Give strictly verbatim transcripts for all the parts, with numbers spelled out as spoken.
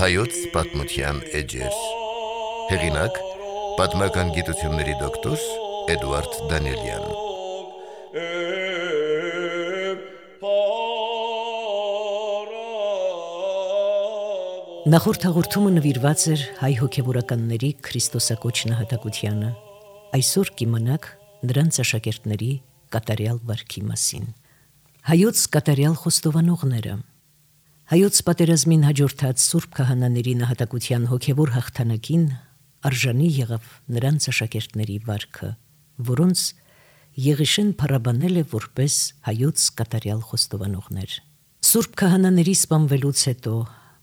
Հայոց պատմության էջեր։ Հեղինակ՝ պատմական գիտությունների դոկտոր Էդուարդ Դանիելյան։ Նախորդ հաղորդումը նվիրված էր հայ հոգևորականների քրիստոսակոչ նահատակությանը։ Այսօր կիմանաք նրանց աշակերտների կատարյալ վարքի մասին։ Հայոց կատարյալ խոստովանողները։ Հայոց պատերազմին հաջորդած Սուրբ քահանաների նահատակության հոգևոր հաղթանակին արժանի եղավ նրանց աշակերտների վարքը, որոնց Եղիշեն փառաբանել է որպես հայոց կատարյալ խոստովանողներ։ Սուրբ քահանաների սպանվելուց հետո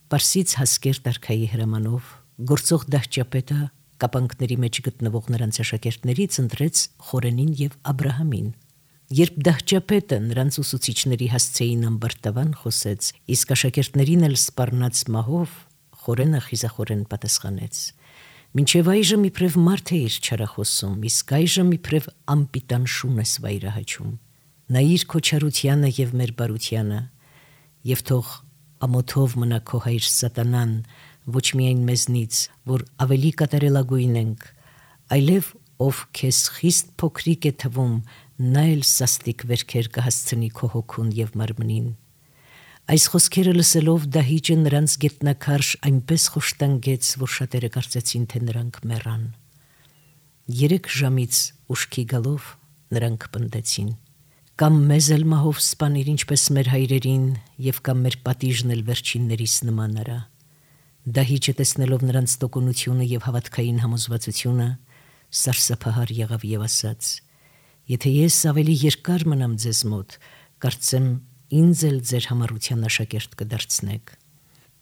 Պարսից հասկեր արքայի հրամանով գործող դահճապետը կապանքների մեջ գտնվող նրանց աշակերտներից ընտրեց Խորենին եւ Աբրահամին։ Երբ դահճապետը նրանց ուսուցիչների հասցեին ամբարտավան խոսեց, իսկ աշակերտներին էլ սպառնաց մահով, Խորենը խիզախորեն պատասխանեց. «Մինչև այժմ իբրև մարդ է իր չարախոսում, իսկ այժմ իբրև անպիտան շուն ես վայրահաչում։ Նայիր քո չարությանը եւ մեր բարությանը, եւ թող ամոթով մնա քո հայր սատանան, ոչ միայն մեզնից, որ ավելի կատարելագույն ենք, այլև ով քեզ խիստ փոքրիկ է թվում, նա էլ սաստիկ վերքեր կհասցնի քո հոգուն եւ մարմնին»։ Այս խոսքերը լսելով դահիճը նրանց գետնաքարշ այնպես խոշտանգեց, որ շատերը կարծեցին, թե նրանք մեռան։ Երեք ժամից ուշքի գալով նրանք պնդեցին. «Կամ մեզ էլ մահով սպանիր, ինչպես մեր հայրերին, եւ կամ մեր պատիժն էլ վերջիններիս նման արա»։ Դահիճը տեսնելով նրանց տոկունությունը եւ հավատքային համոզվածությունը, սարսափահար եղավ եւ ասաց. «Եթե ես ավելի երկար մնամ ձեզ մոտ, կարծեմ ինձ էլ ձեր համառության աշակերտ կդարձնեք»։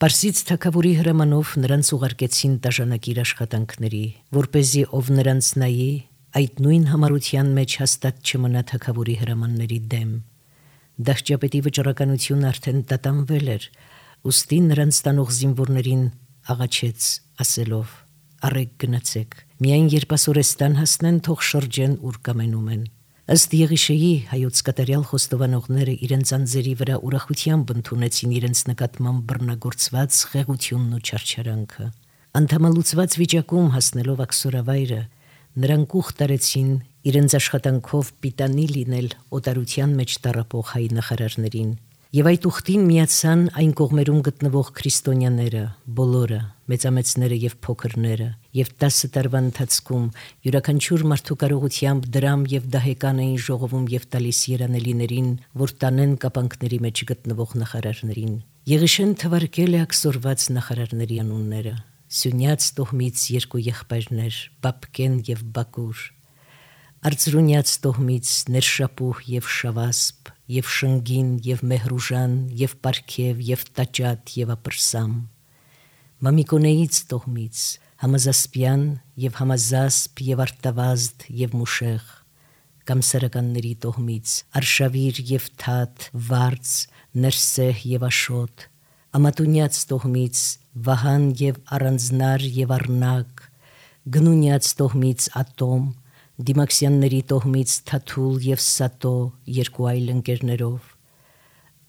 Պարսից թագավորի հրամանով նրանց ուղարկեցին տաժանակիր աշխատանքների, որպեսզի ով նրանց նայի, այդ նույն համառության մեջ հաստատ չմնա թագավորի հրամանների դեմ։ Դահճապետի վճռականությունը արդեն տատանվել էր, ուստի նրանց տանող զինվորներին աղաչեց ասելով. «Առեք գնացեք, միայն երբ ասորեստան հասնեն, թող շրջեն ուր կամենում են»։ Ըստ Եղիշեի հայոց կատարյալ խոստովանողները իրենց անձերի վրա ուրախությամբ ընդունեցին իրենց նկատմամբ բռնագործված խեղությունն ու չարչարանքը։ Անդամալուծված վիճակում հասնելով աքսորավայրը, նրանք ուխտ արեցին իրենց աշխատանքով պիտանի լինել օտարության մեջ տառապող հայ նախարարներին, եւ այդ ուխտին միացան այն կողմերում գտնվող քրիստոնյաները, բոլորը, մեծամեծները եւ փոքրները, եւ տասը տարվա ընթացքում յուրաքանչյուր մարդու կարողությամբ դրամ եւ դահեկան էին ժողովում եւ տալիս երանելիներին, որ տանեն կապանքների մեջ գտնվող նախարարներին։ Եղիշեն թվարկել է աքսորված նախարարների անունները. Սյունյաց տոհմից երկու եղբայրներ, Բաբկեն եւ Բակուր, Արծրունյաց տոհմից Ներշապուհ եւ Շավասպ, եւ Շնգին եւ Մեհրուժան, եւ Պարքև եւ Տաճատ եւ Ապրսամ, Մամիկոնեից տոհմից Համազասպյան եւ Համազասպ եւ Արտավազդ եւ Մուշեղ, Կամսարականների տոհմից Արշավիր եւ Թաթ, Վարց, Ներսեհ եւ Աշոտ, Ամատունյաց տոհմից Վահան եւ Առանձնար եւ Առնակ, Գնունյաց տոհմից Ատոմ, Դիմաքսյանների տոհմից Թաթուլ եւ Սատո երկու այլ ընկերներով,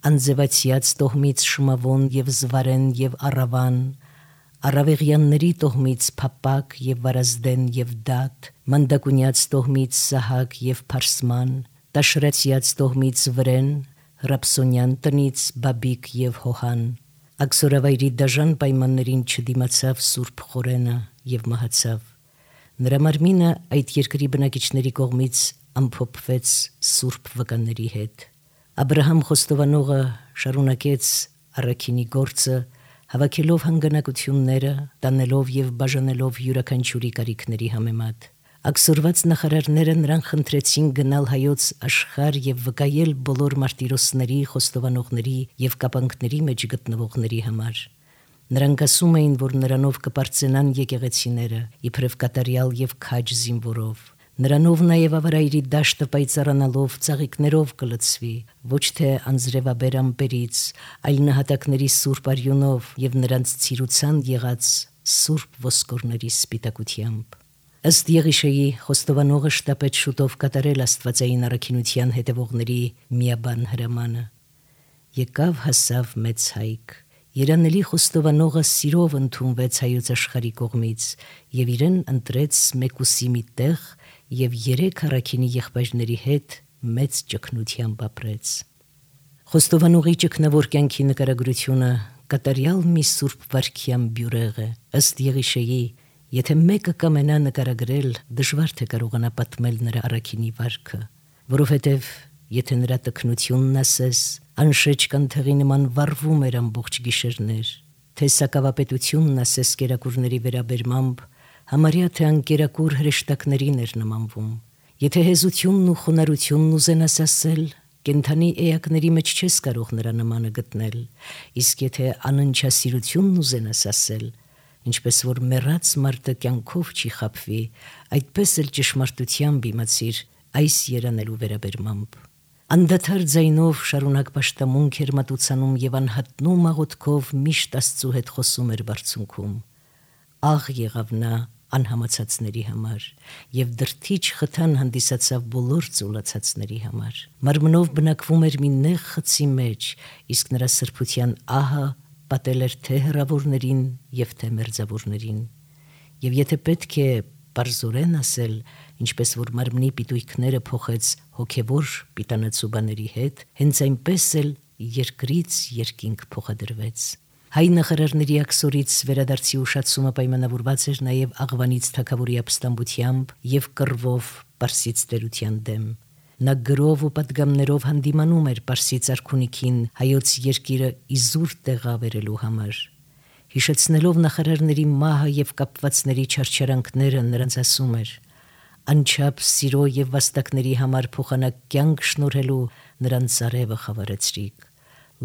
Անձևացյաց տոհմից Շմավոն եւ Զվարեն եւ Առավան, Առավեղյանների տոհմից Փապակ եւ Վարազդեն եւ Դատ, Մանդակունյաց տոհմից Սահակ եւ Փարսման, Տաշրացյաց տոհմից Վրեն, Ռապսոնյան տնից Բաբիկ եւ Հոհան։ Աքսորավայրի դաժան պայմաններին չդիմացավ Սուրբ Խորենը եւ մահացավ։ Նրա մարմինը այդ երկրի բնակիչների կողմից ամփոփվեց Սուրբ վկաների հետ։ Աբրահամ խոստովանողը շարունակեց առաքինի գործը, հավաքելով հանգանակությունները, տանելով եւ բաժանելով յուրաքանչյուրի կարիքների համեմատ։ Աքսորված նախարարները նրան խնդրեցին գնալ հայոց աշխարհ եւ վկայել բոլոր մարտիրոսների, խոստովանողների եւ կապանքների մեջ գտնվողների համար։ Նրանք ասում էին, որ նրանով կպարծենան եկեղեցիները, իբրև կատարյալ եւ քաջ զինվորով։ Նրանով նաեւ ավարայրի դաշտը պայծառանալով ծաղիկներով կլցվի, ոչ թե անձրևաբեր ամպերից, այլ նահատակների սուրբ արյունով եւ նրանց ցիրուցան եղած սուրբ ոսկորների սպիտակությամբ։ Ըստ Եղիշեի խոստովանողը շտապեց շուտով կատարել աստվածային առաքինության հետևողների միաբան հրամանը։ Եկավ հասավ մեծ հայք, երանելի խոստովանողը սիրով ընդունվեց հայոց աշխարհի կողմից եւ իրեն ընտրեց մեկուսի մի տեղ եւ երեք առաքինի եղբայրների հետ մեծ ճգնությամբ ապրեց։ Խոստովանողի ճգնավոր կյանքի նկարագրությունը կատարյալ մի սուրբ վարքյան բյուրեղ է։ Ըստ Եղիշեի, եթե մեկը կամենա նկարագրել, դժվար թե կարողանա պատմել նրա առաքինի վարքը, որովհետև եթե նրա տքնությունն ասես, անշեջ կանթեղի նման վառվում էր ամբողջ գիշերներ, թե սակավապետությունն ասես կերակուրների վերաբերմամբ, համարյա թե անկերակուր հրեշտակներին էր նմանվում, եթե հեզությունն ու խոնարհությունն ուզենաս ասել, կենդանի էակների մեջ չես կարող նրա նմանը գտնել, իսկ եթե անընչասիրությունն ուզենաս ասել, ինչպես որ մեռած մարդը կյանքով չի խաբվի, այդպես էլ ճշմարտությամբ իմացիր այս երանելու վերաբերմամբ։ Անդադար ձայնով շարունակ պաշտամունք էր մատուցանում եւ անհատնում աղոթքով միշտ Աստծու հետ խոսում էր բարձունքում։ Աղ եղավ նա անհամացածների համար եւ դրթիչ խթան հանդիսացավ բոլոր ծուլացածների համար։ Մարմնով բնակվում էր մի նեղ խցի մեջ, իսկ նրա սրբության ահը պատել էր թե հեռավորներին եւ թե մերձավորներին։ Եվ եթե պետք է բարձորեն ասել, ինչպես որ մարմնի պիտույքները փոխեց հոգևոր պիտանացու բաների հետ, հենց այնպես էլ երկրից երկինք փոխադրվեց։ Հայ նախարարների աքսորից վերադարձի ուշացումը պայմանավորված էր նաև աղվանից թագավորի ապստամբությամբ եւ կռվով Պարսից տերության դեմ։ Նա գրով ու պատգամներով հանդիմանում էր Պարսից արքունիքին հայոց երկիրը իզուր տեղավերելու համար։ Հիշեցնելով նախարարների մահը եւ կապվածների չարչարանքները, նրանց ասում էր. անչափ սիրո եւ վաստակների համար փոխանակ կյանք շնորհելու նրանց արևը խավարեցրիք։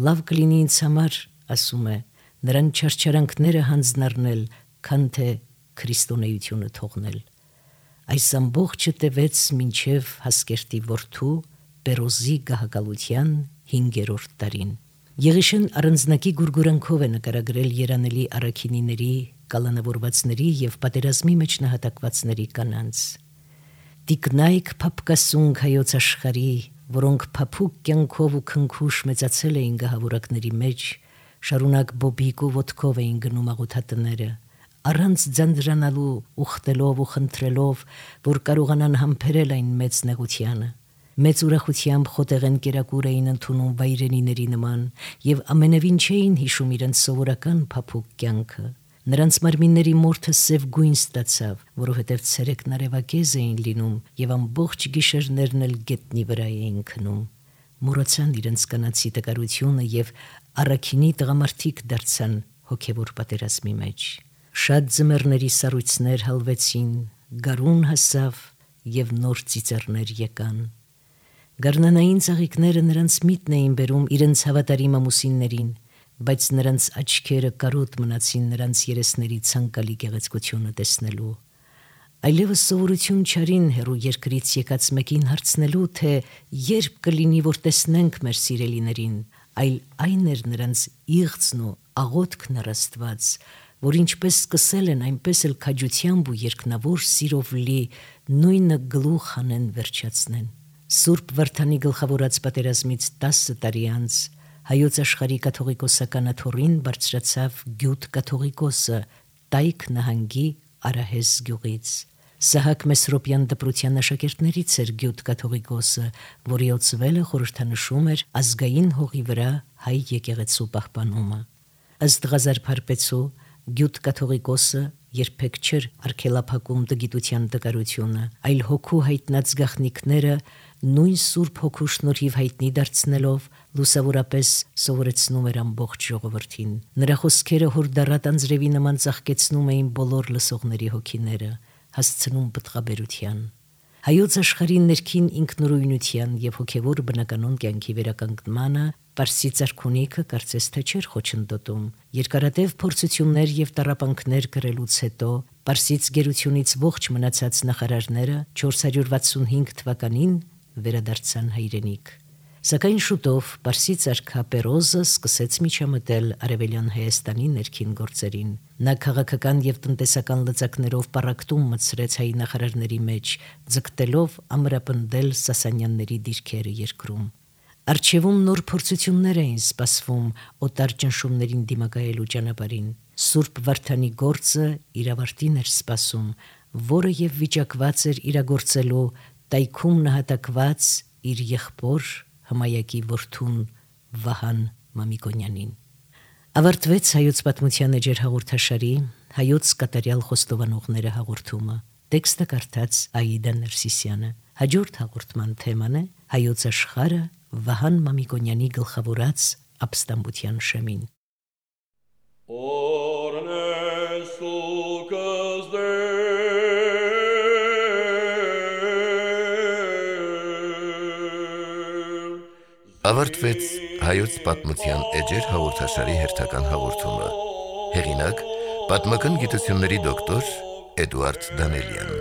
Լավ կլինի ինձ համար, ասում է, նրան չարչարանքները հանձնառնել, քան թե քրիստոնեությունը թողնել։ Այս ամբողջը տևեց մինչև Հասկերտի որդու Պերոզի գահակալության հինգերորդ տարին։ Եղիշեն առանձնակի գուրգուրանքով է նկարագրել երանելի առաքինիների, կալանավորվածների եւ պատերազմի մեջ նահատակվածների կանանց։ Տիկնայք փապկասունք հայոց աշխարհի, որոնք փափուկ կյանքով ու քնքուշ մեծացել էին գահավորակների մեջ, շարունակ բոբիկ ու ոտքով էին գնում աղոթատները, առանց ձանձրանալու, ուխտելով ու խնդրելով, որ կարողանան համբերել այն մեծ նեղությանը։ Մեծ ուրախությամբ խոտեղեն կերակուր էին ընդունում վայրենիների նման եւ ամենևին չէին հիշում իրենց սովորական փափուկ կյանքը։ Նրանց մարմինների մորթը սև գույն ստացավ, որովհետև ցերեկն արևակեզ էին լինում եւ ամբողջ գիշերներն էլ գետնի վրա էին քնում։ Մոռացան իրենց կանացի տկարությունը եւ առաքինի տղամարդիկ դարձան հոգեվոր պատերազմի մեջ։ Շատ ձմեռների սառույցներ հալվեցին, գարուն հասավ եւ նոր ծիծեռներ եկան։ Գարնանային ծաղիկները նրանց միտն էին բերում իրենց հավատարիմ ամուսիններին, բայց նրանց աչքերը կարոտ մնացին նրանց երեսների ցանկալի գեղեցկությունը տեսնելու։ Այլևս սովորություն չարին հերու երկրից եկած մեկին հարցնելու, թե երբ կլինի, որ տեսնենք մեր սիրելիներին, այլ այն էր նրանց իղձն ու աղոթքն առ Աստված, որ ինչպես սկսել են, այնպես էլ քաջությամբ ու երկնավոր սիրով լի նույնը գլուխ հանեն վերջացնեն։ Սուրբ Վարդանի գլխավորած պատերազմից տասը տարի անց հայոց աշխարհի կաթողիկոսական աթոռին բարձրացավ Գյուտ կաթողիկոսը Տայք նահանգի Արահես գյուղից։ Սահակ Մեսրոպյան դպրության աշակերտներից էր Գյուտ կաթողիկոսը, որի օծվելը խորհրդանշում էր ազգային հողի վրա հայ եկեղեցու պահպանումը։ Ըստ Ղազար Փարպեցու Գյուտ կաթողիկոսը երբեք չէր արգելափակում տգիտության տկարությունը, այլ հոգու հայտնած գաղտնիքները նույն Սուրբ Հոգու շնորհիվ հայտնի դարձնելով լուսավորապես սովորեցնում էր ամբողջ ժողովրդին։ Նրա խոսքերը հորդառատ անձրևի նման ծաղկեցնում էին բոլոր լսողների հոգիները, հասցնում պտղաբերության։ Հայոց աշխարհի ներքին ինքնուրույնության եւ հոգեվոր բնականոն կյանքի վերականգնմանը Պարսից արքունիքը կարծես թե չէր խոչընդոտում։ Երկարատև փորձություններ եւ տառապանքներ կրելուց հետո Պարսից գերությունից ողջ մնացած նախարարները չորս հարյուր վաթսունհինգ թվականին վերադարձան հայրենիք։ Սակայն շուտով Պարսից արքա Պերոզը սկսեց միջամտել Արևելյան Հայաստանի ներքին գործերին։ Նա քաղաքական եւ տնտեսական լծակներով պառակտում մտցրեց հայ նախարարների մեջ, ձգտելով ամրապնդել Սասանյանների դիրքերը երկրում։ Արջևում նոր փորձություններ էին սպասվում օտար ճնշումներին դիմակայելու ճանապարհին։ Սուրբ Վարդանի գործը իր ավարտին էր սպասում, որը եւ վիճակված էր իրագործելու տայքում նահատակված իր եղբոր Հմայակի որդուն Վահան Մամիկոնյանին։ Ավարտվեց հայոց պատմության էջեր հաղորդաշարի հայոց կատարյալ խոստովանողները հաղորդումը։ Տեքստը կարդաց Աիդա Ներսիսյանը։ Հաջորդ հաղորդման թեման է հայոց աշխարհը Վահան Մամիկոնյանի գլխավորած ապստամբության շեմին։ Ավարտվեց հայոց պատմության էջեր հաղորդաշարի հերթական հաղորդումը։ Հեղինակ՝ պատմական գիտությունների դոկտոր Էդուարդ Դանելյան։